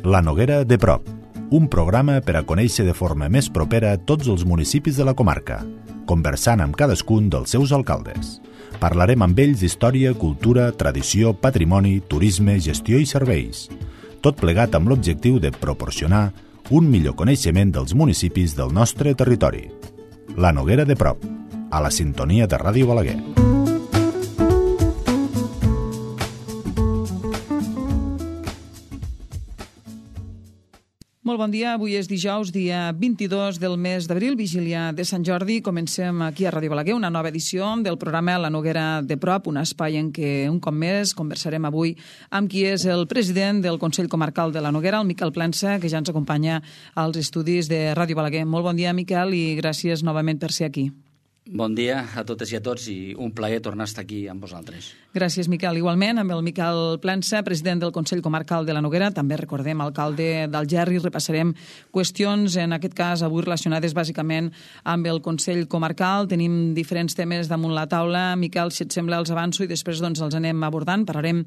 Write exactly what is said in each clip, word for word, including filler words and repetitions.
La Noguera de prop, un programa per a conèixer de forma més propera tots els municipis de la comarca, conversant amb cadascun dels seus alcaldes. Parlarem amb ells d'història, cultura, tradició, patrimoni, turisme, gestió i serveis. Tot plegat amb l'objectiu de proporcionar un millor coneixement dels municipis del nostre territori. La Noguera de prop, a la sintonia de Ràdio Balaguer. Molt bon dia, avui és dijous, dia vint-i-dos del mes d'abril, vigília de Sant Jordi. Comencem aquí a Ràdio Balaguer una nova edició del programa La Noguera de prop, un espai en què un cop més conversarem avui amb qui és el president del Consell Comarcal de la Noguera, el Miquel Plensa, que ja ens acompanya als estudis de Ràdio Balaguer. Molt bon dia, Miquel, i gràcies novament per ser aquí. Bon dia a totes i a tots i un plaer tornar a estar aquí amb vosaltres. Gràcies, Miquel. Igualment, amb el Miquel Plensa, president del Consell Comarcal de la Noguera, també recordem alcalde d'Algerri, repassarem qüestions, en aquest cas avui relacionades bàsicament amb el Consell Comarcal. Tenim diferents temes damunt la taula. Miquel, si et sembla, els avanço i després doncs, els anem abordant. Parlarem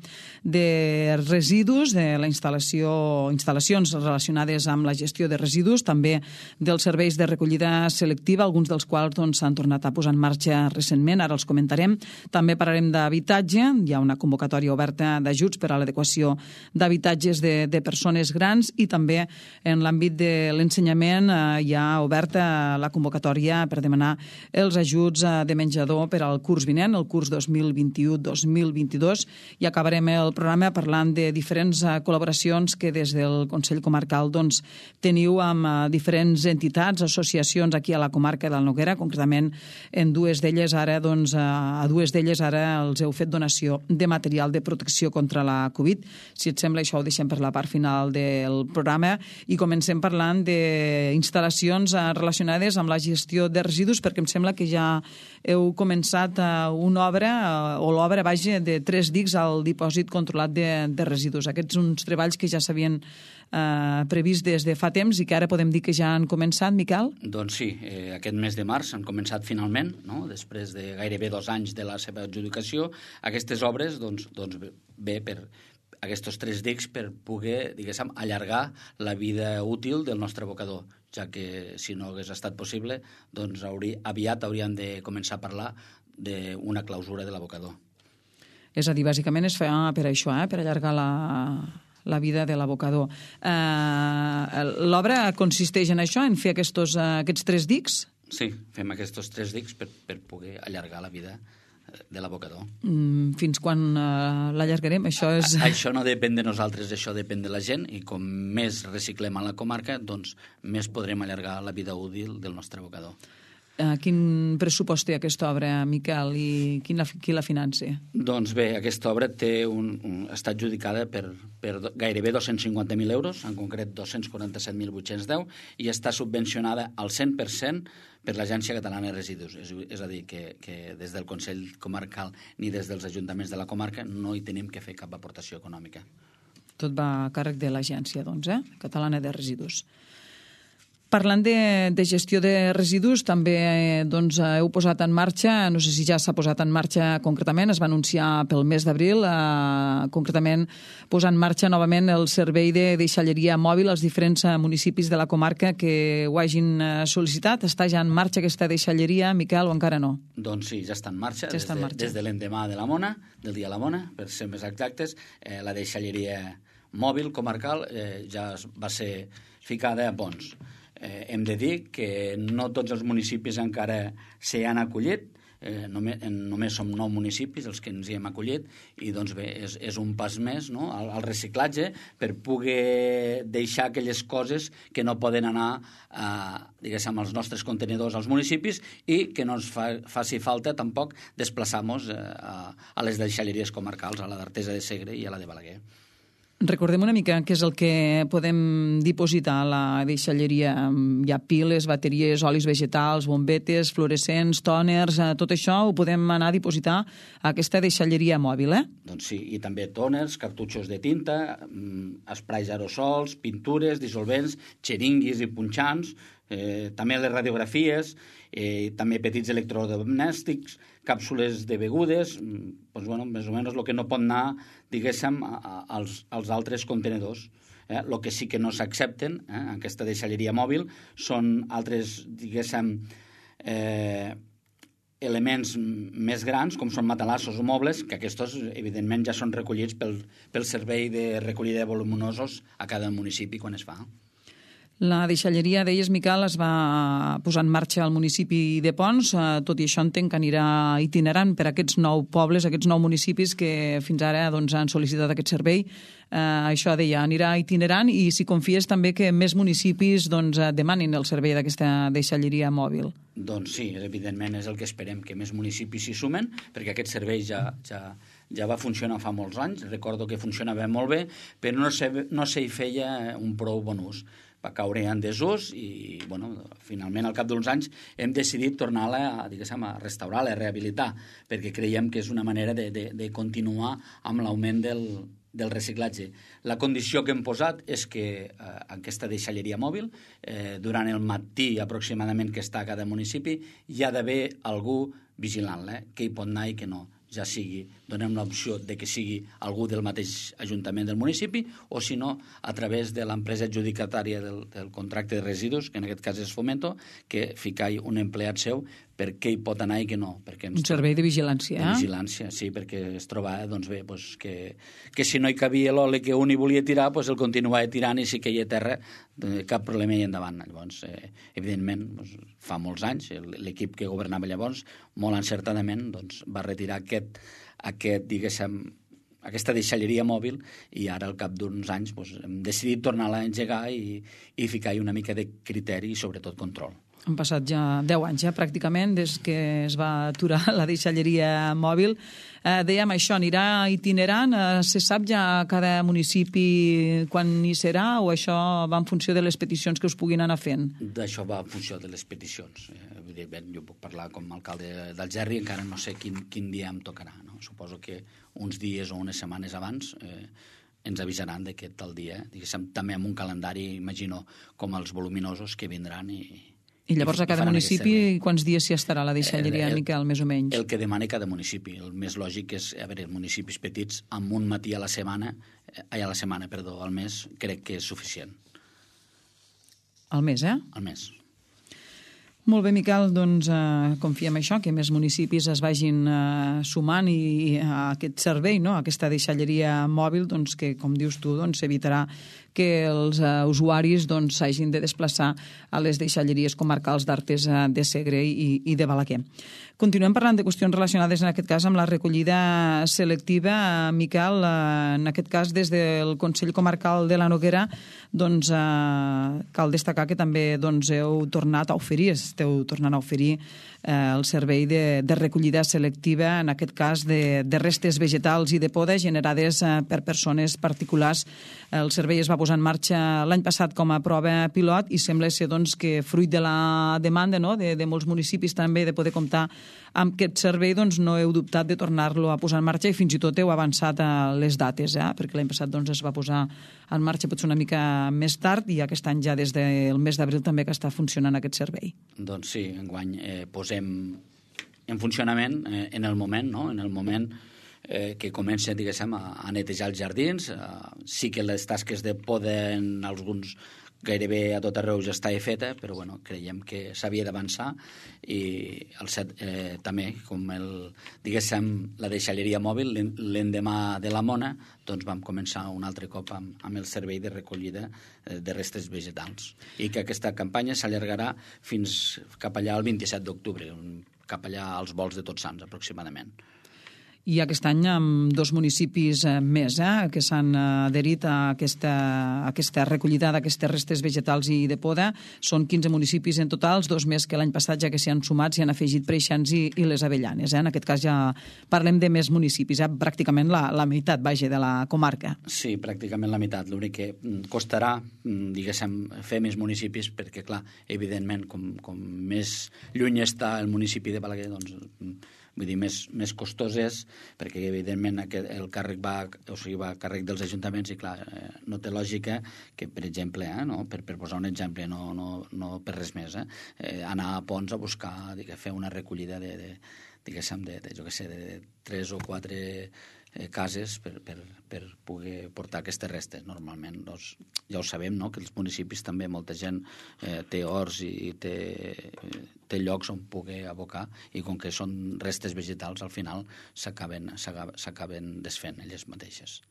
de residus, de la instal·lació, instal·lacions relacionades amb la gestió de residus, també dels serveis de recollida selectiva, alguns dels quals doncs, s'han tornat a posar en marxa recentment, ara els comentarem. També parlarem d'habitatge, hi ha una convocatòria oberta d'ajuts per a l'adequació d'habitatges de, de persones grans i també en l'àmbit de l'ensenyament eh, hi ha oberta la convocatòria per demanar els ajuts eh, de menjador per al curs vinent, el curs dos mil vint-i-u dos mil vint-i-dos, i acabarem el programa parlant de diferents eh, col·laboracions que des del Consell Comarcal doncs, teniu amb eh, diferents entitats, associacions aquí a la comarca de la Noguera, concretament en dues d'elles ara, doncs, a dues d'elles ara els heu fet donació de material de protecció contra la Covid. Si et sembla, això ho deixem per la part final del programa i comencem parlant d'instal·lacions relacionades amb la gestió de residus, perquè em sembla que ja heu començat una obra, o l'obra, vaja, de tres dics al dipòsit controlat de, de residus. Aquests uns treballs que ja s'havien eh, previst des de fa temps i que ara podem dir que ja han començat, Miquel? Doncs sí, eh, aquest mes de març han començat finalment, no? Després de gairebé dos anys de la seva adjudicació. Aquestes obres, doncs, doncs bé, per aquests tres dics per poder, diguéssim, allargar la vida útil del nostre abocador, ja que si no hagués estat possible, doncs hauria, aviat hauríem de començar a parlar d'una clausura de l'abocador. És a dir, bàsicament es fa per això, eh? Per allargar la, la vida de l'abocador. Eh, L'obra consisteix en això, en fer aquests, aquests tres dics? Sí, fem aquests tres dics per, per poder allargar la vida de l'abocador. Mm, fins quan uh, l'allargarem? Això és... A, això no depèn de nosaltres, això depèn de la gent, i com més reciclem a la comarca, doncs més podrem allargar la vida útil del nostre abocador. Uh, quin pressupost té aquesta obra, Miquel, i quin la, qui la finança? Doncs bé, aquesta obra té un, un, està adjudicada per, per gairebé dos-cents cinquanta mil euros, en concret dos-cents quaranta-set mil vuit-cents deu, i està subvencionada al cent per cent per l'Agència Catalana de Residus. És, és a dir, que, que des del Consell Comarcal ni des dels ajuntaments de la comarca no hi tenim que fer cap aportació econòmica. Tot va a càrrec de l'Agència, doncs, eh? Catalana de Residus. Parlant de, de gestió de residus, també eh, doncs, heu posat en marxa, no sé si ja s'ha posat en marxa concretament, es va anunciar pel mes d'abril, eh, concretament posar en marxa novament el servei de deixalleria mòbil als diferents eh, municipis de la comarca que ho hagin eh, sol·licitat. Està ja en marxa aquesta deixalleria, Miquel, o encara no? Doncs sí, ja està en marxa, ja des, està en de, marxa. des de l'endemà de la Mona, del dia de la Mona, per ser més exactes, eh, la deixalleria mòbil comarcal eh, ja va ser ficada a Pons. Eh, hem de dir que no tots els municipis encara s'hi han acollit, eh, només, només som nou municipis els que ens hi hem acollit, i doncs bé, és, és un pas més, no?, al, al reciclatge per poder deixar aquelles coses que no poden anar a, diguéssim, als nostres contenidors als municipis i que no ens fa, faci falta tampoc desplaçar-nos eh, a, a les deixalleries comarcals, a la d'Artesa de Segre i a la de Balaguer. Recordem una mica què és el que podem dipositar a la deixalleria. Hi ha piles, bateries, olis vegetals, bombetes, fluorescents, tòners, tot això ho podem anar a dipositar a aquesta deixalleria mòbil, eh? Doncs sí, i també tòners, cartutxos de tinta, esprais aerosols, pintures, dissolvents, xeringuis i punxants, Eh, també les radiografies, eh, també petits electrodomèstics, càpsules de begudes, doncs, bueno, més o menys el que no pot anar, diguéssim, a, a, als, als altres contenedors. Eh? El que sí que no s'accepten, eh, en aquesta deixalleria mòbil, són altres, diguéssim, eh, elements més grans, com són matalassos o mobles, que aquests, evidentment, ja són recollits pel, pel servei de recollida de voluminosos a cada municipi quan es fa. La deixalleria, deies, Miquel, es va posar en marxa al municipi de Ponts. Tot i això entenc que anirà itinerant per aquests nou pobles, aquests nou municipis que fins ara doncs, han sol·licitat aquest servei. Eh, això deia, anirà itinerant i si confies també que més municipis doncs, demanin el servei d'aquesta deixalleria mòbil. Doncs sí, evidentment és el que esperem, que més municipis s'hi sumen, perquè aquest servei ja, ja, ja va funcionar fa molts anys. Recordo que funcionava molt bé, però no se, no se hi feia un prou bon ús. Va caure en desús i, bueno, finalment, al cap d'uns anys, hem decidit tornar-la a, diguéssim, a restaurar-la, a rehabilitar, perquè creiem que és una manera de, de, de continuar amb l'augment del, del reciclatge. La condició que hem posat és que eh, aquesta deixalleria mòbil, eh, durant el matí aproximadament que està a cada municipi, hi ha d'haver algú vigilant-la, eh, que hi pot anar i que no. Ja sigui, donem l'opció de que sigui algú del mateix ajuntament del municipi o, si no, a través de l'empresa adjudicatària del, del contracte de residus, que en aquest cas és Fomento, que fica un empleat seu per què hi pot anar i què no. Perquè ens un servei de vigilància, eh? De vigilància, sí, perquè es trobava, doncs bé, doncs que, que si no hi cabia l'oli que un hi volia tirar, doncs el continuava tirant i si queia a terra, cap problema i endavant. Llavors, eh, evidentment, doncs, fa molts anys, l'equip que governava llavors, molt encertadament, doncs, va retirar aquest, aquest diguéssim, aquesta deixalleria mòbil i ara, al cap d'uns anys, doncs, hem decidit tornar-la a engegar i, i ficar-hi una mica de criteri i, sobretot, control. Han passat ja deu anys, ja, pràcticament, des que es va aturar la deixalleria mòbil. Eh, dèiem, això anirà itinerant. Eh, se sap ja a cada municipi quan hi serà o això va en funció de les peticions que us puguin anar fent? D'això va en funció de les peticions. Eh, evidentment, jo puc parlar com a alcalde d'Algerri, encara no sé quin, quin dia em tocarà. No? Suposo que uns dies o unes setmanes abans eh, ens avisaran de que tal dia, diguéssim, també amb un calendari, imagino, com els voluminosos que vindran i... I llavors a cada municipi quants dies s'hi estarà la deixalleria, el, el, Miquel, més o menys? El que demana cada municipi. El més lògic és, a veure, municipis petits, amb un matí a la setmana, ai, a la setmana, perdó, al mes, crec que és suficient. Al mes, eh? Al mes. Molt bé, Miquel, doncs eh, confiem això, que més municipis es vagin eh, sumant i, i a aquest servei, no? A aquesta deixalleria mòbil, doncs, que, com dius tu, doncs, evitarà que els uh, usuaris doncs, s'hagin de desplaçar a les deixalleries comarcals d'Artés, de Segre i, i de Balaquer. Continuem parlant de qüestions relacionades, en aquest cas, amb la recollida selectiva. Miquel, uh, en aquest cas, des del Consell Comarcal de la Noguera, doncs, uh, cal destacar que també doncs, heu tornat a oferir, esteu tornant a oferir eh, el servei de, de recollida selectiva, en aquest cas de, de restes vegetals i de poda generades eh, per persones particulars. El servei es va posar en marxa l'any passat com a prova pilot i sembla ser doncs, que fruit de la demanda, no?, de, de molts municipis també de poder comptar amb aquest servei, doncs no heu dubtat de tornar-lo a posar en marxa i fins i tot heu avançat a les dates, eh? Perquè l'any passat doncs, es va posar en marxa potser una mica més tard i aquest any ja des del mes d'abril també que està funcionant aquest servei. Doncs sí, enguany eh, posem en funcionament eh, en el moment, no? En el moment eh, que comencen, diguéssim, a, a netejar els jardins. Eh, sí que les tasques de poda en alguns gairebé a tot arreu ja està feta, però bueno, creiem que s'havia d'avançar i el set, eh, també, com el, diguéssim, la deixalleria mòbil, l'endemà de la Mona, doncs vam començar un altre cop amb, amb el servei de recollida eh, de restes vegetals. I que aquesta campanya s'allargarà fins cap allà el vint-i-set d'octubre, cap allà als volts de Tots Sants, aproximadament. I aquest any amb dos municipis més eh, que s'han adherit a aquesta, a aquesta recollida d'aquestes restes vegetals i de poda. Són quinze municipis en total, dos més que l'any passat, ja que s'hi han sumat, s'hi han afegit Preixans i, i les Avellanes. Eh? En aquest cas ja parlem de més municipis, eh? Pràcticament la, la meitat, vaja, de la comarca. Sí, pràcticament la meitat. L'únic que costarà, diguéssim, fer més municipis perquè, clar, evidentment, com, com més lluny està el municipi de Balaguer, doncs vull dir, més, més costós és, perquè evidentment aquest, el càrrec va, o sigui, va a càrrec dels ajuntaments i clar, eh, no té lògica que, per exemple, eh, no? per, per posar un exemple, no, no, no per res més, eh, eh, anar a Ponts a buscar, digue, fer una recollida de, de, diguéssim, de, de, jo què sé, de tres o quatre eh, cases per, per, per poder portar aquestes restes. Normalment, doncs, ja ho sabem, no?, que els municipis també molta gent eh, té horts i té, té llocs on poder abocar i com que són restes vegetals, al final s'acaben s'acaben desfent elles mateixes.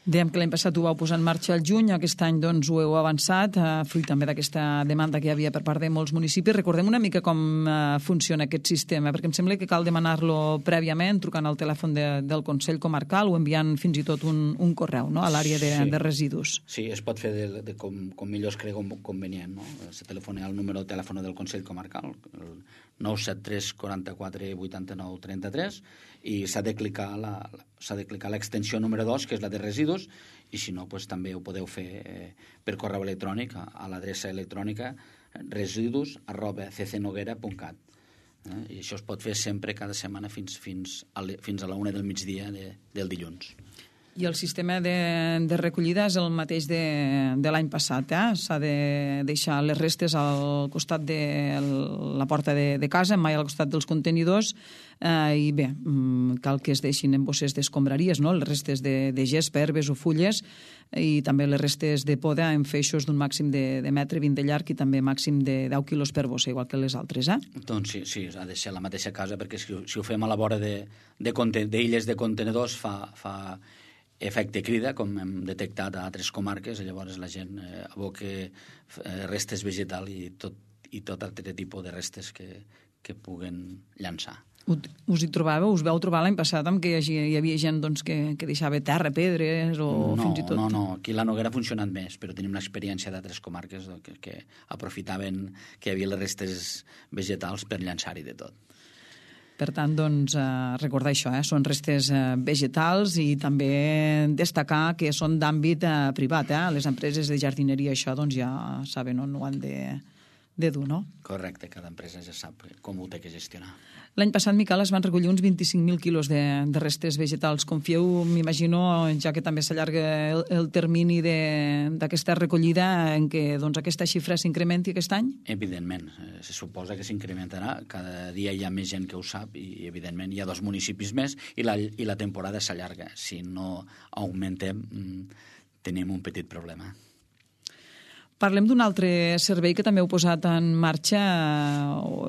Dèiem que l'any passat ho vau posar en marxa al juny, aquest any doncs ho heu avançat, eh, fruit també d'aquesta demanda que hi havia per part de molts municipis. Recordem una mica com eh, funciona aquest sistema, perquè em sembla que cal demanar-lo prèviament, trucant al telèfon de, del Consell Comarcal o enviant fins i tot un, un correu, no?, a l'àrea de, sí. de residus. Sí, es pot fer de, de com, com millor es creu convenient, no? Se telefona al número de telèfon del Consell Comarcal, el nou set tres quaranta-quatre vuitanta-nou trenta-tres, i s'ha de clicar la, s'ha de clicar l'extensió número dos, que és la de residus, i si no, doncs, també ho podeu fer eh, per correu electrònic a, a l'adreça electrònica residus arroba ccnoguera punt cat. Eh? I això es pot fer sempre, cada setmana, fins, fins, a, fins a la una del migdia de, del dilluns. I el sistema de, de recollida és el mateix de, de l'any passat, eh? S'ha de deixar les restes al costat de la porta de, de casa, mai al costat dels contenidors, eh, i bé, cal que es deixin en bosses d'escombraries, no?, les restes de, de gespa, herbes o fulles, i també les restes de poda en feixos d'un màxim de, de metre vint de llarg i també màxim de deu quilos per bossa, igual que les altres, eh? Doncs sí, sí, ha de ser la mateixa casa, perquè si, si ho fem a la vora d'illes de, de, de, de contenedors fa... fa efecte crida, com hem detectat a altres comarques, i llavors la gent eh, aboca eh, restes vegetals i tot, i tot altre tipus de restes que, que puguen llançar. Us hi trobàveu? Us vau trobar l'any passat amb que hi, hi havia gent doncs, que, que deixava terra, pedres o no, fins i tot... No, no, aquí la Noguera ha funcionat més, però tenim l'experiència d'altres comarques que, que aprofitaven que hi havia les restes vegetals per llançar-hi de tot. Per tant, doncs, eh, recordar això, eh? Són restes eh, vegetals i també destacar que són d'àmbit eh, privat. Eh? Les empreses de jardineria això doncs, ja saben on ho han de, de dur, no? Correcte, cada empresa ja sap com ho té que gestionar. L'any passat, Miquel, es van recollir uns vint-i-cinc mil quilos de, de restes vegetals. Confieu, m'imagino, ja que també s'allarga el, el termini d'aquesta recollida, en què doncs, aquesta xifra s'incrementi aquest any? Evidentment, eh, se suposa que s'incrementarà. Cada dia hi ha més gent que ho sap i, evidentment, hi ha dos municipis més i la, i la temporada s'allarga. Si no augmentem, tenim un petit problema. Parlem d'un altre servei que també heu posat en marxa,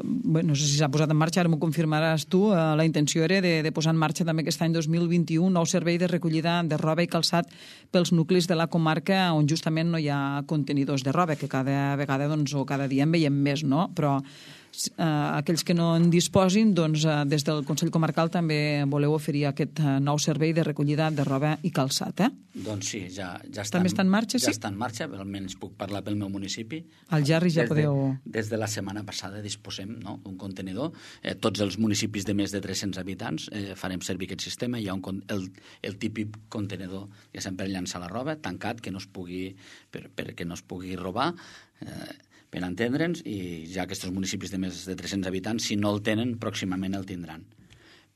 bé, no sé si s'ha posat en marxa, ara m'ho confirmaràs tu, la intenció era de, de posar en marxa també aquest any dos mil vint-i-u un nou servei de recollida de roba i calçat pels nuclis de la comarca on justament no hi ha contenidors de roba, que cada vegada doncs, o cada dia en veiem més, no? Però eh, aquells que no en disposin, doncs, eh, des del Consell Comarcal també voleu oferir aquest eh, nou servei de recollida de roba i calçat, eh? Doncs sí, ja, ja està, també està en marxa, ja sí? està en marxa, almenys puc parlar pel meu municipi. Al Gerri ja des podeu... De, des de la setmana passada disposem, no?, d'un contenidor. Eh, tots els municipis de més de tres-cents habitants eh, farem servir aquest sistema. Hi ha un, el, el típic contenidor que sempre llança la roba, tancat, que no es pugui, per, perquè no es pugui robar, eh, per entendre'ns, i ja aquests municipis de més de tres-cents habitants, si no el tenen, pròximament el tindran.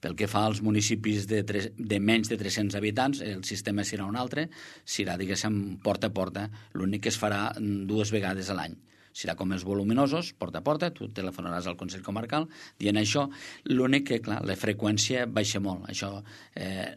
Pel que fa als municipis de, tres, de menys de tres-cents habitants, el sistema serà un altre, serà, diguéssim, porta a porta. L'únic que es farà dues vegades a l'any. Serà com els voluminosos, porta a porta, tu telefonaràs al Consell Comarcal dient això. L'únic que, clar, la freqüència baixa molt. Això, eh,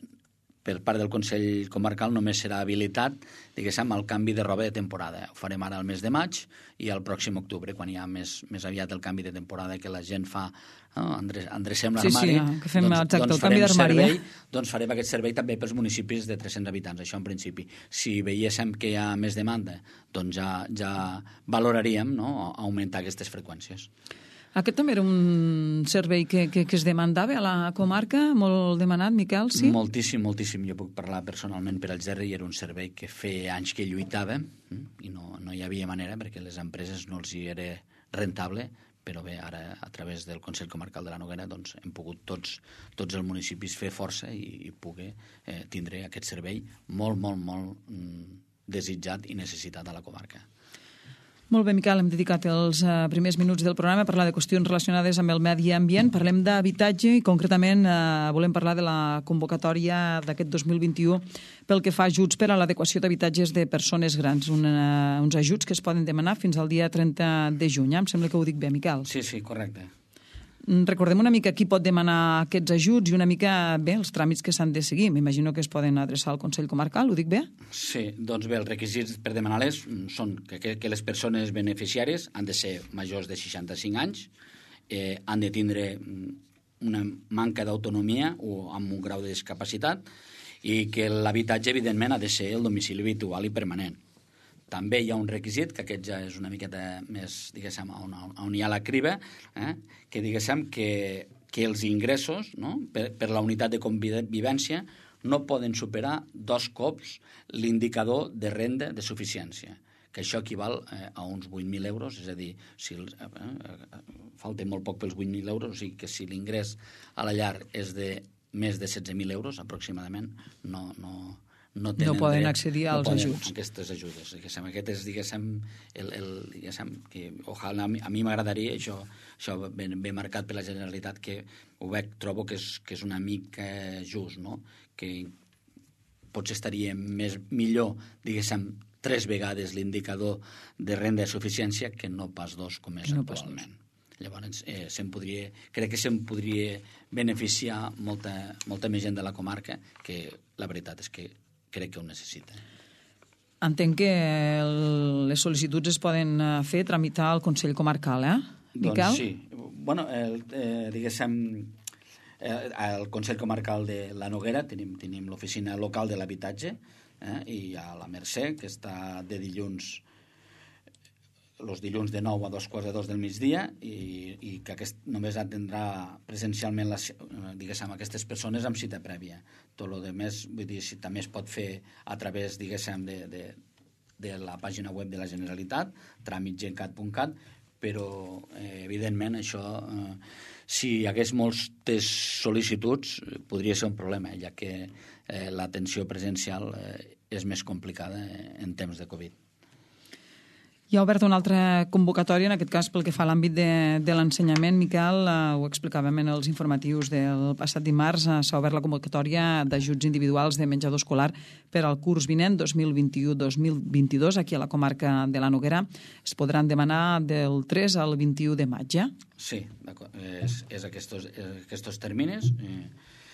per part del Consell Comarcal, només serà habilitat, diguéssim, el canvi de roba de temporada. Ho farem ara al mes de maig i al pròxim octubre, quan hi ha més, més aviat el canvi de temporada que la gent fa, no? Endre, endrecem l'armari. Sí, sí, que fem doncs, exacte, doncs el canvi d'armari. Servei, doncs farem aquest servei també pels municipis de tres-cents habitants, això en principi. Si veiéssim que hi ha més demanda, doncs ja, ja valoraríem, no?, augmentar aquestes freqüències. Aquest també era un servei que, que, que es demandava a la comarca, molt demanat, Miquel, sí? Moltíssim, moltíssim. Jo puc parlar personalment per al Gerri, i era un servei que feia anys que lluitava i no, no hi havia manera perquè les empreses no els hi era rentable, però bé, ara a través del Consell Comarcal de la Noguera doncs, hem pogut tots, tots els municipis fer força i, i poder eh, tindre aquest servei molt, molt, molt mm, desitjat i necessitat a la comarca. Molt bé, Miquel, hem dedicat els uh, primers minuts del programa a parlar de qüestions relacionades amb el medi ambient. Parlem d'habitatge i concretament uh, volem parlar de la convocatòria d'aquest dos mil vint-i-u pel que fa a ajuts per a l'adequació d'habitatges de persones grans, una, uns ajuts que es poden demanar fins al dia trenta de juny. Em sembla que ho dic bé, Miquel. Sí, sí, correcte. Recordem una mica qui pot demanar aquests ajuts i una mica, bé, els tràmits que s'han de seguir. M'imagino que es poden adreçar al Consell Comarcal, ho dic bé? Sí, doncs bé, els requisits per demanar-les són que, que, que les persones beneficiàries han de ser majors de seixanta-cinc anys, eh, han de tindre una manca d'autonomia o amb un grau de discapacitat i que l'habitatge, evidentment, ha de ser el domicili habitual i permanent. També hi ha un requisit, que aquest ja és una miqueta més, diguéssim, on, on hi ha la criba, eh? que diguéssim que, que els ingressos, no? per, per la unitat de convivència no poden superar dos cops l'indicador de renda de suficiència, que això equival eh, a uns vuit mil euros, és a dir, si els, eh, eh, falta molt poc pels vuit mil euros, o sigui que si l'ingrés a la llar és de més de setze mil euros aproximadament, no... no No, no poden dret, accedir als no ajuts. A aquestes ajudes. Diguéssim, aquest és, diguéssim, el, el, diguéssim que ojalà, a mi m'agradaria, això, això ben, ben marcat per la Generalitat, que ho veig, trobo que és, que és una mica just, no? Que potser estaria més, millor, diguéssim, tres vegades l'indicador de renda de suficiència que no pas dos, com és no actualment. Llavors, eh, se'n podria, crec que se'n podria beneficiar molta, molta més gent de la comarca, que la veritat és que crec que ho necessita. Entenc que el, les sol·licituds es poden fer, tramitar al Consell Comarcal, eh, Miquel? Doncs sí. Bueno, el, eh, diguéssim, eh, al Consell Comarcal de la Noguera tenim, tenim l'oficina local de l'habitatge eh, i a la Mercè, que està de dilluns els dilluns de nou a dos quarts de dos del migdia i, i que aquest només atendrà presencialment les, diguéssim, aquestes persones amb cita prèvia. Tot el més, vull dir, si també es pot fer a través, diguéssim, de, de, de la pàgina web de la Generalitat, tràmitgencat punt cat, però eh, evidentment això, eh, si hi hagués moltes sol·licituds, podria ser un problema, ja que eh, l'atenció presencial eh, és més complicada eh, en temps de Covid. Hi ha obert una altra convocatòria, en aquest cas pel que fa a l'àmbit de, de l'ensenyament. Miquel, eh, ho explicàvem en els informatius del passat dimarts, eh, s'ha obert la convocatòria d'ajuts individuals de menjador escolar per al curs vinent dos mil vint-i-u dos mil vint-i-dos aquí a la comarca de la Noguera. Es podran demanar del tres al vint-i-u de maig, eh? Sí, d'acord. És, és aquests, aquests termines. Eh,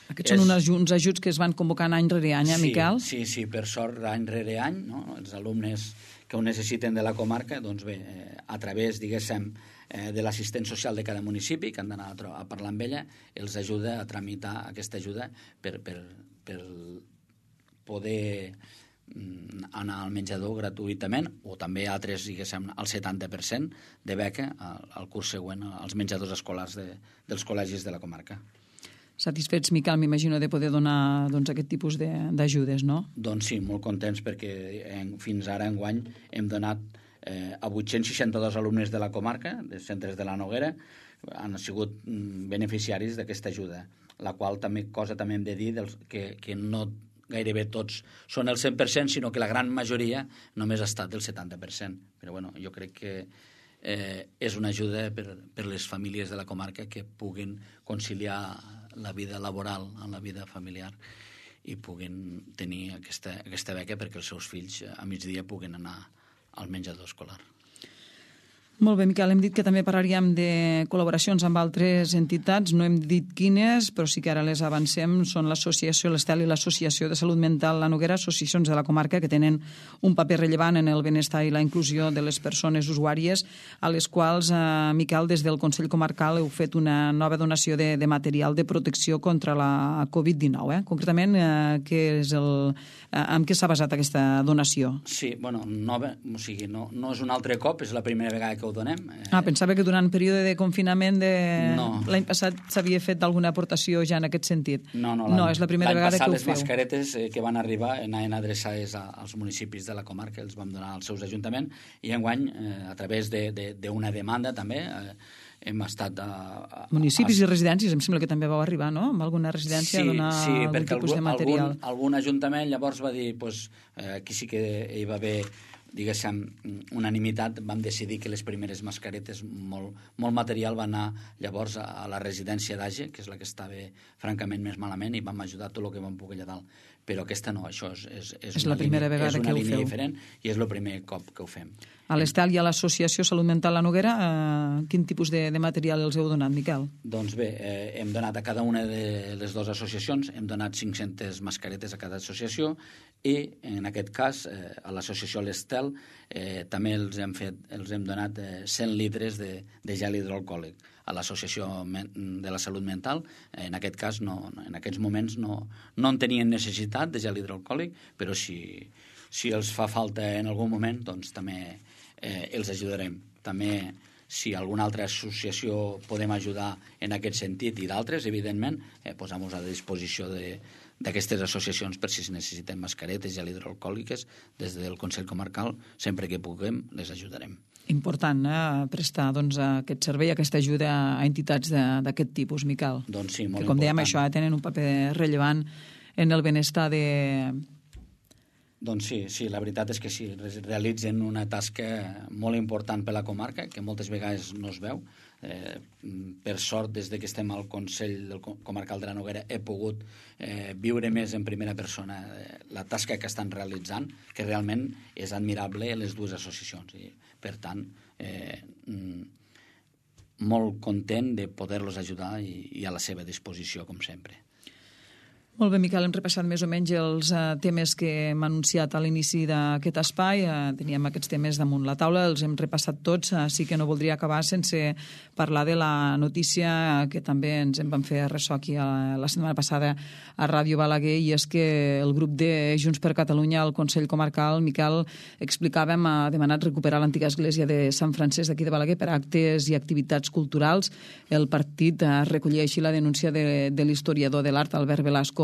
Aquests és... són uns, uns ajuts que es van convocant any rere any, eh, sí, Miquel? Sí, sí, per sort, any rere any, no? Els alumnes que ho necessiten de la comarca, doncs bé, eh, a través, diguéssim, eh, de l'assistent social de cada municipi, que han d'anar a, a parlar amb ella, els ajuda a tramitar aquesta ajuda per, per, per poder mm, anar al menjador gratuïtament, o també altres, diguéssim, al setanta per cent de beca al, al curs següent als menjadors escolars de, dels col·legis de la comarca. Satisfets, Miquel, m'imagino, de poder donar doncs, aquest tipus d'ajudes, no? Doncs sí, molt contents perquè en, fins ara enguany hem donat eh, a vuit-cents seixanta-dos alumnes de la comarca, dels centres de la Noguera, han sigut mm, beneficiaris d'aquesta ajuda, la qual també cosa també hem de dir dels, que, que no gairebé tots són el cent per cent, sinó que la gran majoria només ha estat del setanta per cent. Però bueno, jo crec que eh, és una ajuda per, per les famílies de la comarca que puguin conciliar la vida laboral amb la vida familiar i puguin tenir aquesta, aquesta beca perquè els seus fills a migdia puguin anar al menjador escolar. Molt bé, Miquel, hem dit que també parlaríem de col·laboracions amb altres entitats, no hem dit quines, però sí que ara les avancem, són l'Associació l'Estel i l'Associació de Salut Mental La Noguera, associacions de la comarca que tenen un paper rellevant en el benestar i la inclusió de les persones usuàries, a les quals, eh, Miquel, des del Consell Comarcal heu fet una nova donació de, de material de protecció contra la covid dinou. Eh? Concretament, eh, què és el, eh, en què s'ha basat aquesta donació? Sí, bueno, nova, o sigui, no, no és un altre cop, és la primera vegada que ho donem. Ah, pensava que durant el període de confinament de... no. l'any passat s'havia fet alguna aportació ja en aquest sentit. No, no, no és la primera vegada que ho feu. L'any passat les mascaretes eh, que van arribar anaven adreçades a, als municipis de la comarca, els vam donar als seus ajuntaments, i enguany, eh, a través d'una de, de, demanda també, eh, hem estat... A, a, municipis a... i residències, em sembla que també vau arribar, no?, amb alguna residència sí, a donar sí, algun tipus algun, de material. Algun, algun ajuntament llavors va dir, pues, eh, aquí sí que hi va haver diguéssim, unanimitat, vam decidir que les primeres mascaretes, molt, molt material, va anar llavors a la residència d'Age, que és la que estava francament més malament, i vam ajudar tot el que vam poder allà dalt. Però aquesta no, això és, és, és, és una la primera línia, vegada és una que ho línia feu. diferent i és el primer cop que ho fem. A l'Estel i a l'Associació Salut Mental La Noguera, eh, quin tipus de, de material els heu donat, Miquel? Doncs bé, eh, hem donat a cada una de les dues associacions, hem donat cinc-centes mascaretes a cada associació i, en aquest cas, eh, a l'associació l'Estel eh, també els hem, fet, els hem donat eh, cent litres de, de gel hidroalcohòlic. A l'Associació de la Salut Mental, en aquest cas, no, en aquests moments no, no en tenien necessitat de gel hidroalcohòlic, però si, si els fa falta en algun moment, doncs també eh, els ajudarem. També, si alguna altra associació podem ajudar en aquest sentit i d'altres, evidentment, eh, posem-nos a disposició de, d'aquestes associacions per si es necessiten mascaretes, gel hidroalcohòliques, des del Consell Comarcal, sempre que puguem, les ajudarem. Important, eh, prestar doncs, aquest servei, aquesta ajuda a entitats d'aquest tipus, Miquel. Doncs sí, molt que, com important. dèiem, això tenen un paper rellevant en el benestar de... Doncs sí, sí, la veritat és que sí, realitzen una tasca molt important per la comarca, que moltes vegades no es veu. Eh, per sort, des de que estem al Consell del Comarcal de la Noguera, he pogut eh, viure més en primera persona eh, la tasca que estan realitzant, que realment és admirable les dues associacions. I, per tant, eh, molt content de poder-los ajudar i, i a la seva disposició, com sempre. Molt bé, Miquel, hem repassat més o menys els uh, temes que hem anunciat a l'inici d'aquest espai. Uh, teníem aquests temes damunt la taula, els hem repassat tots. Uh, sí que no voldria acabar sense parlar de la notícia que també ens en vam fer ressò aquí a, la setmana passada a Ràdio Balaguer, i és que el grup de Junts per Catalunya al Consell Comarcal, Miquel, explicàvem, ha demanat recuperar l'antiga església de Sant Francesc d'aquí de Balaguer per actes i activitats culturals. El partit uh, recollia així la denúncia de, de l'historiador de l'art, Albert Velasco,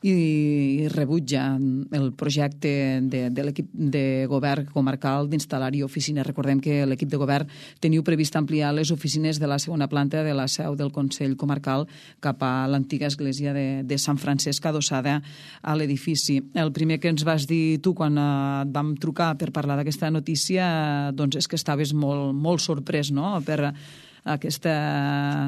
i rebutja el projecte de, de l'equip de govern comarcal d'instal·lar-hi oficines. Recordem que l'equip de govern teniu previst ampliar les oficines de la segona planta de la seu del Consell Comarcal cap a l'antiga església de, de Sant Francesc, adossada a l'edifici. El primer que ens vas dir tu quan et vam trucar per parlar d'aquesta notícia, doncs és que estaves molt, molt sorprès, no?, per aquesta,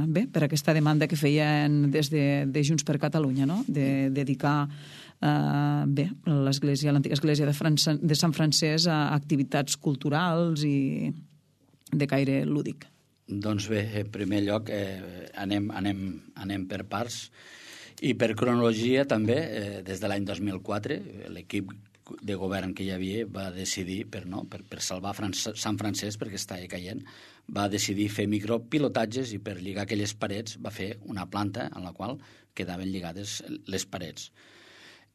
bé, per aquesta demanda que feien des de, de Junts per Catalunya, no?, de dedicar eh, bé, l'església, l'antiga església de, França, de Sant Francesc a activitats culturals i de caire lúdic. Doncs bé, en primer lloc eh, anem, anem, anem per parts i per cronologia també. Eh, des de l'any dos mil quatre l'equip de govern que hi havia va decidir, per, no, per, per salvar France, Sant Francesc, perquè estava caient, va decidir fer micropilotatges i per lligar aquelles parets va fer una planta en la qual quedaven lligades les parets.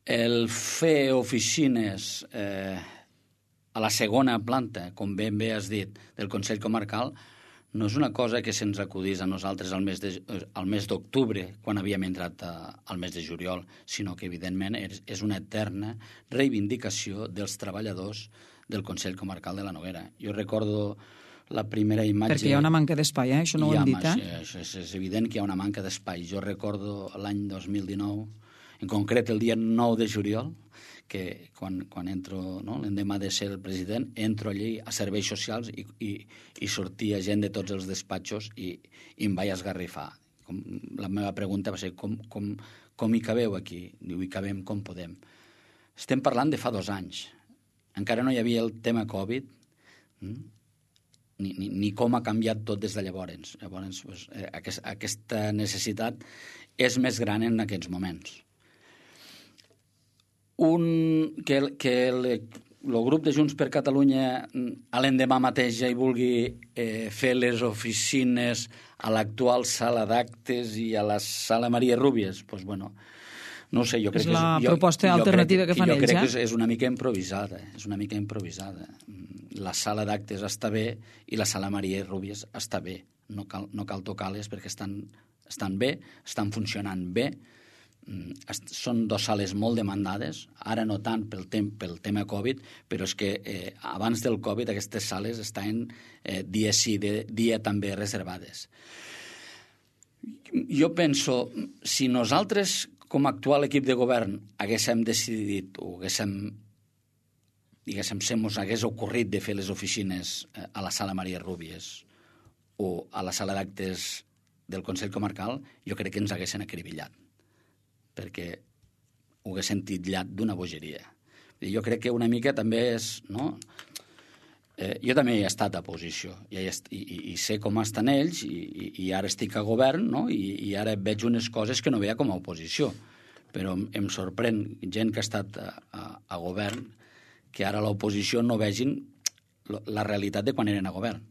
El fer oficines eh, a la segona planta, com ben bé has dit, del Consell Comarcal, no és una cosa que se'ns acudís a nosaltres al mes de, al mes d'octubre, quan havíem entrat a, al mes de juliol, sinó que, evidentment, és, és una eterna reivindicació dels treballadors del Consell Comarcal de la Noguera. Jo recordo la primera imatge... Perquè hi ha una manca d'espai, eh? Això no ho hem dit, eh? És, és, és evident que hi ha una manca d'espai. Jo recordo l'any dos mil dinou, en concret el dia nou de juliol, que quan, quan entro, no, l'endemà de ser el president, entro allí a serveis socials i, i, i sortia gent de tots els despatxos i, i em vaig esgarrifar. Com, la meva pregunta va ser com, com, com hi cabeu aquí? Diu, hi cabem com podem. Estem parlant de fa dos anys. Encara no hi havia el tema Covid, hm? ni, ni, ni com ha canviat tot des de llavors. Llavors, pues, eh, aquest, aquesta necessitat és més gran en aquests moments. Un, que que el, el grup de Junts per Catalunya a l'endemà mateix ja hi vulgui eh, fer les oficines a l'actual sala d'actes i a la sala Maria Rúbies, doncs, bueno, no ho sé, jo crec és la que... És, jo, proposta jo alternativa crec, que fan jo ells, crec eh? que és, és una mica improvisada, és una mica improvisada. La sala d'actes està bé i la sala Maria Rúbies està bé. No cal, no cal tocar-les perquè estan, estan bé, estan funcionant bé. Són dues sales molt demandades, ara no tant pel, tem pel tema Covid, però és que eh, abans del Covid aquestes sales estaven eh, dia sí, de, dia també reservades. Jo penso, si nosaltres, com a actual equip de govern, haguéssim decidit o haguéssim diguéssim, se mos hagués ocorrit de fer les oficines a la sala Maria Rúbies o a la sala d'actes del Consell Comarcal, jo crec que ens haguessin acribillat, perquè ho haguessin titllat d'una bogeria. Jo crec que una mica també és... No? Eh, jo també he estat a oposició i, i, i sé com estan ells i, i, i ara estic a govern, no? I, i ara veig unes coses que no veia com a oposició. Però em, em sorprèn gent que ha estat a, a, a govern que ara a l'oposició no vegin la realitat de quan eren a govern.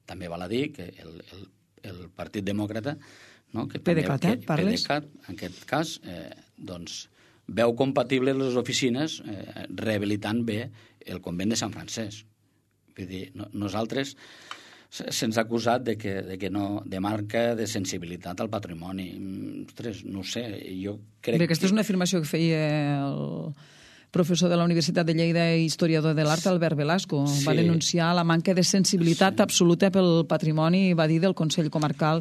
També val a dir que el, el, el Partit Demòcrata, no? que P D C A T, també, eh? Parles? P D C A T, en aquest cas, eh, doncs, veu compatible les oficines eh, rehabilitant bé el convent de Sant Francesc. Vull dir, no, nosaltres se'ns ha acusat de que, de que no, de manca de sensibilitat al patrimoni. Ostres, no ho sé, jo crec Bé, aquesta que... és una afirmació que feia el professor de la Universitat de Lleida i historiador de l'art, Albert Velasco. Sí. Va denunciar la manca de sensibilitat sí. absoluta pel patrimoni, va dir, del Consell Comarcal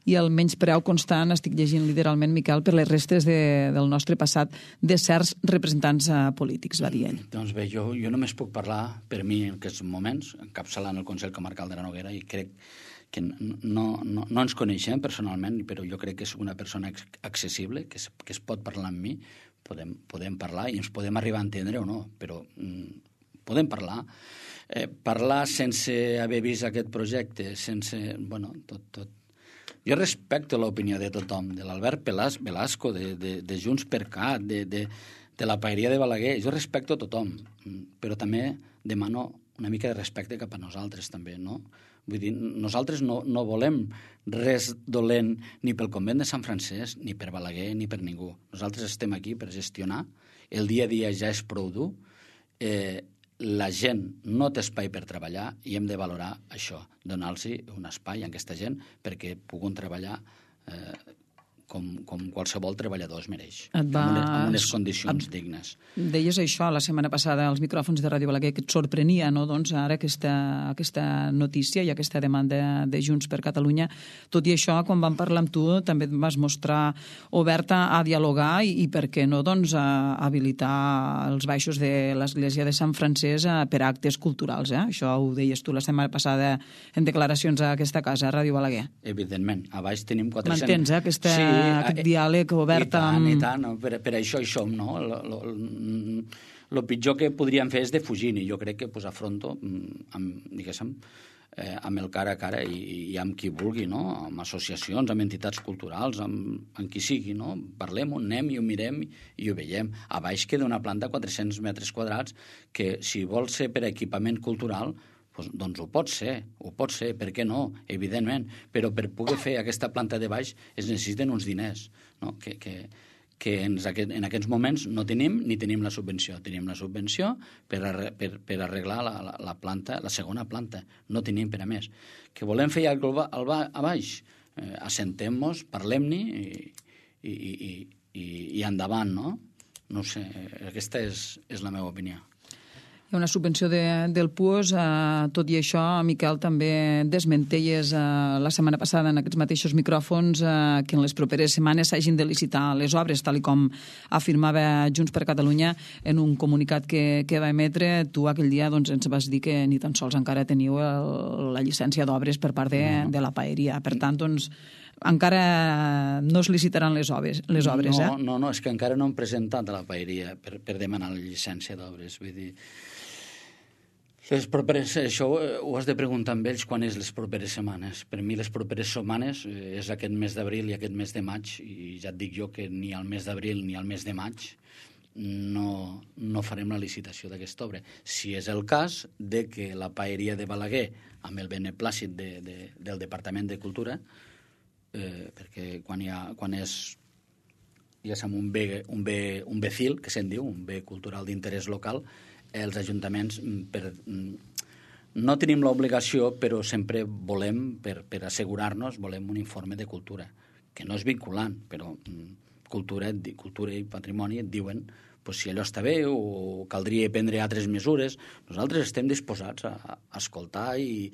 i el menyspreu constant, estic llegint literalment, Miquel, per les restes de, del nostre passat de certs representants uh, polítics, va dir ell. Doncs bé, jo, jo només puc parlar per mi en aquests moments, encapçalant el Consell Comarcal de la Noguera, i crec que no, no, no ens coneixem personalment, però jo crec que és una persona accessible, que es, que es pot parlar amb mi, podem, podem parlar i ens podem arribar a entendre o no, però mm, podem parlar. Eh, parlar sense haver vist aquest projecte, sense... Bueno, tot... tot. Jo respecto l'opinió de tothom, de l'Albert Velasco, de, de, de Junts per Cat, de, de, de la paeria de Balaguer. Jo respecto tothom, però també demano una mica de respecte cap a nosaltres, també, no? Vull dir, nosaltres no, no volem res dolent ni pel convent de Sant Francesc, ni per Balaguer, ni per ningú. Nosaltres estem aquí per gestionar. El dia a dia ja és prou dur. Eh, la gent no té espai per treballar i hem de valorar això, donar-los un espai a aquesta gent perquè puguin treballar eh, com, com qualsevol treballador es mereix, et va... amb, unes, amb unes condicions et... dignes. Deies això la setmana passada als micròfons de Ràdio Balaguer, que et sorprenia, no?, doncs ara aquesta, aquesta notícia i aquesta demanda de Junts per Catalunya. Tot i això, quan vam parlar amb tu, també et vas mostrar oberta a dialogar i, i per què no, doncs, a habilitar els baixos de l'església de Sant Francesc per a actes culturals, eh? Això ho deies tu la setmana passada en declaracions a aquesta casa, a Ràdio Balaguer. Evidentment, a baix tenim quatre-cents... M'entens, eh? Aquesta... Sí, aquest diàleg obert i tant, amb... I tant, per, per això hi som, no? El pitjor que podríem fer és defugir, i jo crec que pues, afronto amb, diguéssim, eh, amb el cara a cara i, i amb qui vulgui, no? Amb associacions, amb entitats culturals, amb, amb qui sigui, no? Parlem-ho, anem i ho mirem i ho veiem. A baix queda una planta de quatre-cents metres quadrats que, si vol ser per equipament cultural, doncs ho pot ser, ho pot ser, per què no? Evidentment, però per poder fer aquesta planta de baix es necessiten uns diners, no? que, que, que ens, en aquests moments no tenim ni tenim la subvenció. Tenim la subvenció per, arre, per, per arreglar la, la, la planta, la segona planta. No tenim per a més. Que volem fer alguna cosa a baix? Eh, assentem-nos, parlem-ne i, i, i, i, i endavant, no? No ho sé, aquesta és, és la meva opinió. Hi ha una subvenció de, del P U O S, eh, tot i això, Miquel, també desmenteies eh, la setmana passada en aquests mateixos micròfons eh, que en les properes setmanes s'hagin de licitar les obres, tal com afirmava Junts per Catalunya en un comunicat que, que va emetre. Tu aquell dia doncs, ens vas dir que ni tan sols encara teniu el, la llicència d'obres per part de, no. de la paeria. Per tant, doncs, encara no es licitaran les obres, les obres no, eh? No, no, és que encara no hem presentat a la paeria per, per demanar la llicència d'obres. Vull dir, les properes, això ho has de preguntar amb ells quan és les properes setmanes. Per mi les properes setmanes és aquest mes d'abril i aquest mes de maig, i ja et dic jo que ni al mes d'abril ni al mes de maig no, no farem la licitació d'aquesta obra. Si és el cas de que la paeria de Balaguer, amb el beneplàcit de, de, del Departament de Cultura, eh, perquè quan, hi ha, quan és ja som un bé, un bé, un bé fil, que se'n diu, un bé cultural d'interès local, els ajuntaments per, no tenim l'obligació, però sempre volem, per, per assegurar-nos, volem un informe de cultura, que no és vinculant, però cultura, cultura i patrimoni et diuen pues, si allò està bé o caldria prendre altres mesures. Nosaltres estem disposats a, a escoltar i,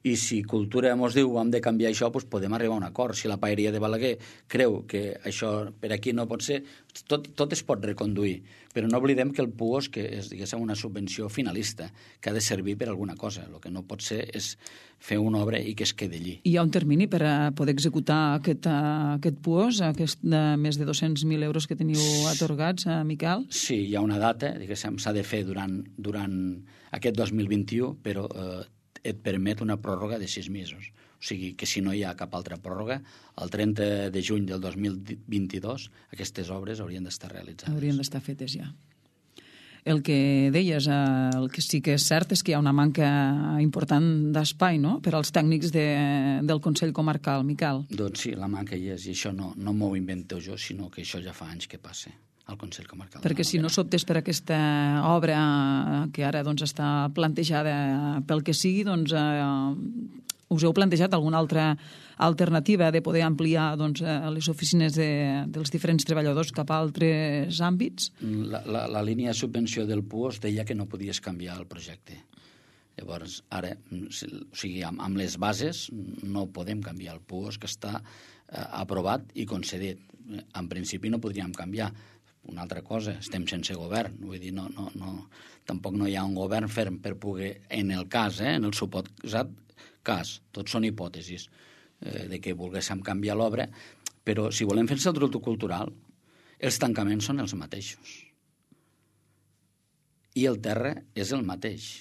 i si cultura ens diu hem de canviar això, pues, podem arribar a un acord. Si la paeria de Balaguer creu que això per aquí no pot ser, tot, tot es pot reconduir. Però no oblidem que el Puos que és, diguéssim, una subvenció finalista, que ha de servir per alguna cosa. El que no pot ser és fer una obra i que es quedi allí. Hi ha un termini per a poder executar aquest, aquest Puos, aquest de més de dos-cents mil euros que teniu atorgats, Miquel? Sí, hi ha una data, diguéssim, s'ha de fer durant, durant aquest dos mil vint-i-u, però eh, et permet una pròrroga de sis mesos. O sigui que si no hi ha cap altra pròrroga, el trenta de juny del dos mil vint-i-dos aquestes obres haurien d'estar realitzades. Haurien d'estar fetes ja. El que deies, el que sí que és cert és que hi ha una manca important d'espai, no?, per als tècnics de, del Consell Comarcal, Miquel. Doncs sí, la manca hi és, i això no, no m'ho invento jo, sinó que això ja fa anys que passa al Consell Comarcal. Perquè si no s'optés per aquesta obra que ara doncs, està plantejada pel que sigui, doncs eh, us heu plantejat alguna altra alternativa de poder ampliar doncs, les oficines de, dels diferents treballadors cap a altres àmbits? La, la, la línia de subvenció del Puos deia que no podies canviar el projecte. Llavors, ara, o sigui, amb, amb les bases no podem canviar el Puos, que està eh, aprovat i concedit. En principi no podríem canviar. Una altra cosa, estem sense govern, vull dir, no, no, no, tampoc no hi ha un govern ferm per poder, en el cas, eh, en el suposat cas, tots són hipòtesis eh, de que volguéssim canviar l'obra, però si volem fer el centre cultural, els tancaments són els mateixos. I el terra és el mateix.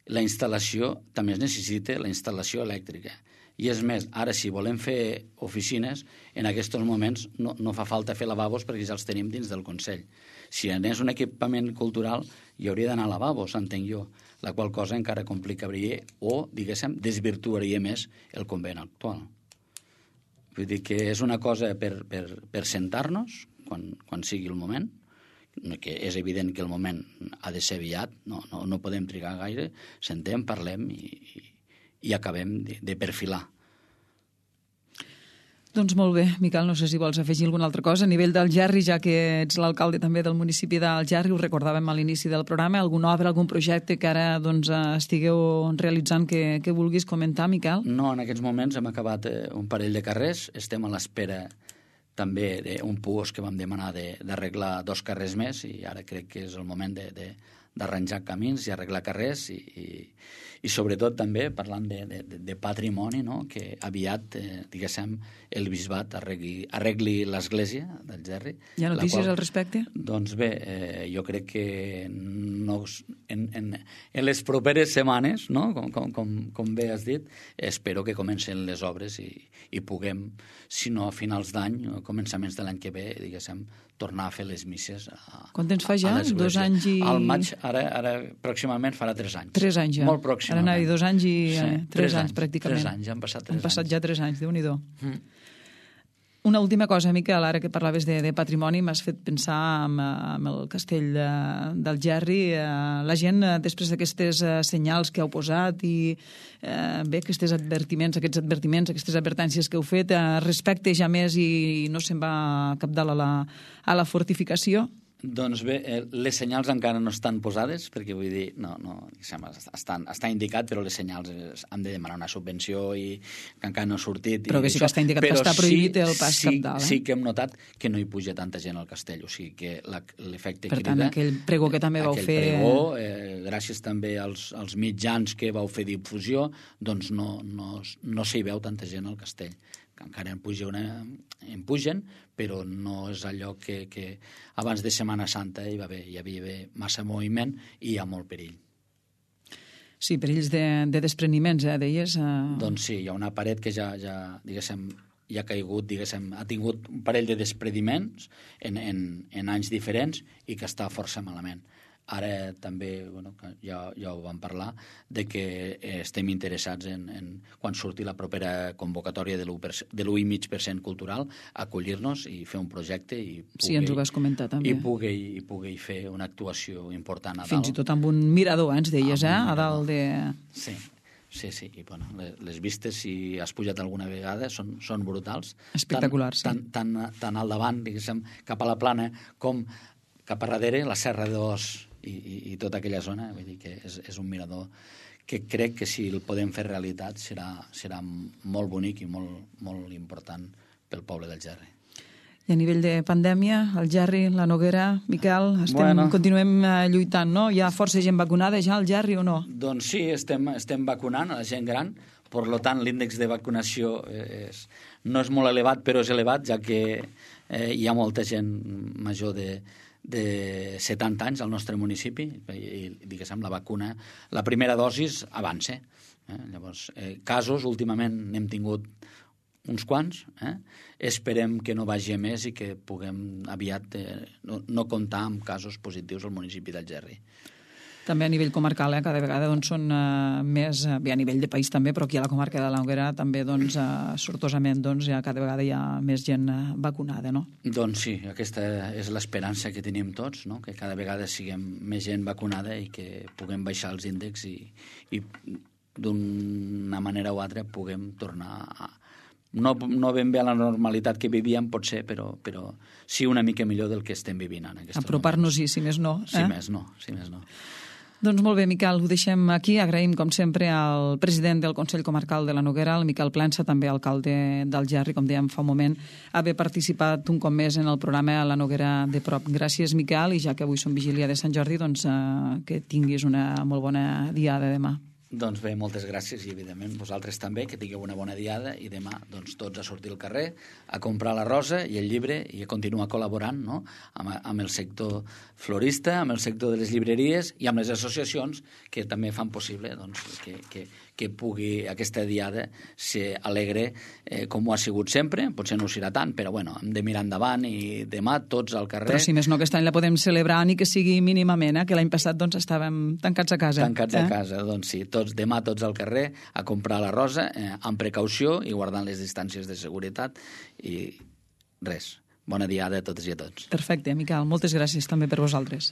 La instal·lació també es necessita la instal·lació elèctrica. I és més, ara si volem fer oficines, en aquests moments no, no fa falta fer lavabos perquè ja els tenim dins del Consell. Si anés un equipament cultural, hi hauria d'anar a lavabos, entenc jo, la qual cosa encara complicaria o, diguéssim, desvirtuaria més el convent actual. Vull dir que és una cosa per, per, per sentar-nos quan, quan sigui el moment, que és evident que el moment ha de ser aviat, no, no, no podem trigar gaire, sentem, parlem i, i i acabem de, de perfilar. Doncs molt bé, Miquel, no sé si vols afegir alguna altra cosa. A nivell d'Algerri, ja que ets l'alcalde també del municipi d'Algerri, ho recordàvem a l'inici del programa, alguna obra, algun projecte que ara doncs, estigueu realitzant que, que vulguis comentar, Miquel? No, en aquests moments hem acabat un parell de carrers, estem a l'espera també d'un Puos que vam demanar d'arreglar dos carrers més i ara crec que és el moment de, de, d'arranjar camins i arreglar carrers i, i, i sobretot també parlant de, de, de patrimoni, no? Que aviat, eh, diguéssim, el bisbat arregli, arregli l'església d'Algerri. Hi ha notícies qual, al respecte? Doncs bé, eh, jo crec que no, en, en, en les properes setmanes, no? com, com, com, com bé has dit, espero que comencen les obres i, i puguem, si no a finals d'any o començaments de l'any que ve, diguéssim, tornar a fer les misses a, Quan temps fa ja? Dos anys i... Al maig, ara, ara pròximament farà tres anys. Tres anys ja. Molt pròximament. Ara anava dos anys i sí, eh, tres, tres anys, anys, pràcticament. Tres anys, han passat tres anys. Han passat anys. ja tres anys, Déu-n'hi-do. Mm. Una última cosa, Miquel, ara que parlaves de, de patrimoni, m'has fet pensar en, en el castell d'Algerri. La gent, després d'aquestes senyals que heu posat i eh, bé, aquests advertiments, aquests advertiments, aquestes advertències que heu fet, eh, respecte ja més i no se'n va cap dalt a la, a la fortificació? Doncs bé, les senyals encara no estan posades, perquè vull dir, no, no, estan, està indicat, però les senyals han de demanar una subvenció i que encara no ha sortit. Però que sí això, que està indicat que està prohibit sí, el pas sí, cap dalt. Eh? Sí que hem notat que no hi puja tanta gent al castell, o sigui que l'efecte crida... Per tant, aquell pregó que també vau aquell fer... Aquell pregó, eh, gràcies també als, als mitjans que vau fer difusió, doncs no, no, no s'hi veu tanta gent al castell. Que encara en, puja una, en pugen, però no és allò que, que abans de Setmana Santa hi, va haver, hi havia massa moviment i hi ha molt perill. Sí, perills de, de despreniments, eh, deies? Eh... Doncs sí, hi ha una paret que ja, ja diguéssim, ja ha caigut, diguéssim, ha tingut un parell de despreniments en, en, en anys diferents i que està força malament. Ara també, bueno, ja, ja ho vam parlar, de que estem interessats en, en quan surti la propera convocatòria de l'u coma cinc per cent cultural, acollir-nos i fer un projecte i pugui, sí, ens ho vas comentar també. I pugui, i pugui fer una actuació important a dalt. Fins i tot amb un mirador, eh, ens deies, eh, a dalt de... Sí. Sí, sí, i bueno, les vistes, si has pujat alguna vegada, són, són brutals. Espectaculars, tant, sí. Tant, tant, tant al davant, diguéssim, cap a la plana, com cap a darrere, la Serra d'Os i, i, i tota aquella zona. Vull dir que és, és un mirador que crec que si el podem fer realitat serà, serà molt bonic i molt, molt important pel poble d'Algerri. I a nivell de pandèmia, el Gerri, la Noguera, Miquel, estem, bueno. continuem lluitant, no? Hi ha força gent vacunada ja al Gerri o no? Doncs sí, estem, estem vacunant a la gent gran, per tant l'índex de vacunació és, no és molt elevat, però és elevat, ja que eh, hi ha molta gent major de, de setanta anys al nostre municipi i, i diguéssim, la vacuna, la primera dosis avança. Eh? Llavors, eh, casos, últimament n'hem tingut uns quants, eh? Esperem que no vagi a més i que puguem aviat eh, no, no comptar amb casos positius al municipi del Gerri. També a nivell comarcal, eh, cada vegada doncs, són uh, més, uh, bé, a nivell de país també, però aquí a la comarca de la Noguera també, doncs, uh, sortosament, doncs, ja cada vegada hi ha més gent uh, vacunada, no? Doncs sí, aquesta és l'esperança que tenim tots, no? Que cada vegada siguem més gent vacunada i que puguem baixar els índexs i, i d'una manera o altra puguem tornar a No, no ben bé a la normalitat que vivíem, potser, però, però sí una mica millor del que estem vivint en aquests moments. Apropar-nos-hi, si més no. Eh? Si més no, si més no. Doncs molt bé, Miquel, ho deixem aquí. Agraïm, com sempre, al president del Consell Comarcal de la Noguera, el Miquel Plança, també alcalde del Gerri, com dèiem fa un moment, haver participat un cop més en el programa La Noguera de prop. Gràcies, Miquel, i ja que avui som vigília de Sant Jordi, doncs eh, que tinguis una molt bona diada demà. Doncs bé, moltes gràcies i, evidentment, vosaltres també, que tingueu una bona diada i demà doncs, tots a sortir al carrer, a comprar la rosa i el llibre i a continuar col·laborant, no? amb, amb el sector florista, amb el sector de les llibreries i amb les associacions que també fan possible doncs, que, que, que pugui aquesta diada ser alegre eh, com ho ha sigut sempre. Potser no ho serà tant, però bueno, hem de mirar endavant i demà tots al carrer. Però si més no, aquest any la podem celebrar ni que sigui mínimament, eh? Que l'any passat doncs, estàvem tancats a casa. Tancats eh? a casa, doncs sí. Tots, demà tots al carrer a comprar la rosa eh, amb precaució i guardant les distàncies de seguretat i res. Bona diada a totes i a tots. Perfecte, Miquel. Moltes gràcies també per vosaltres.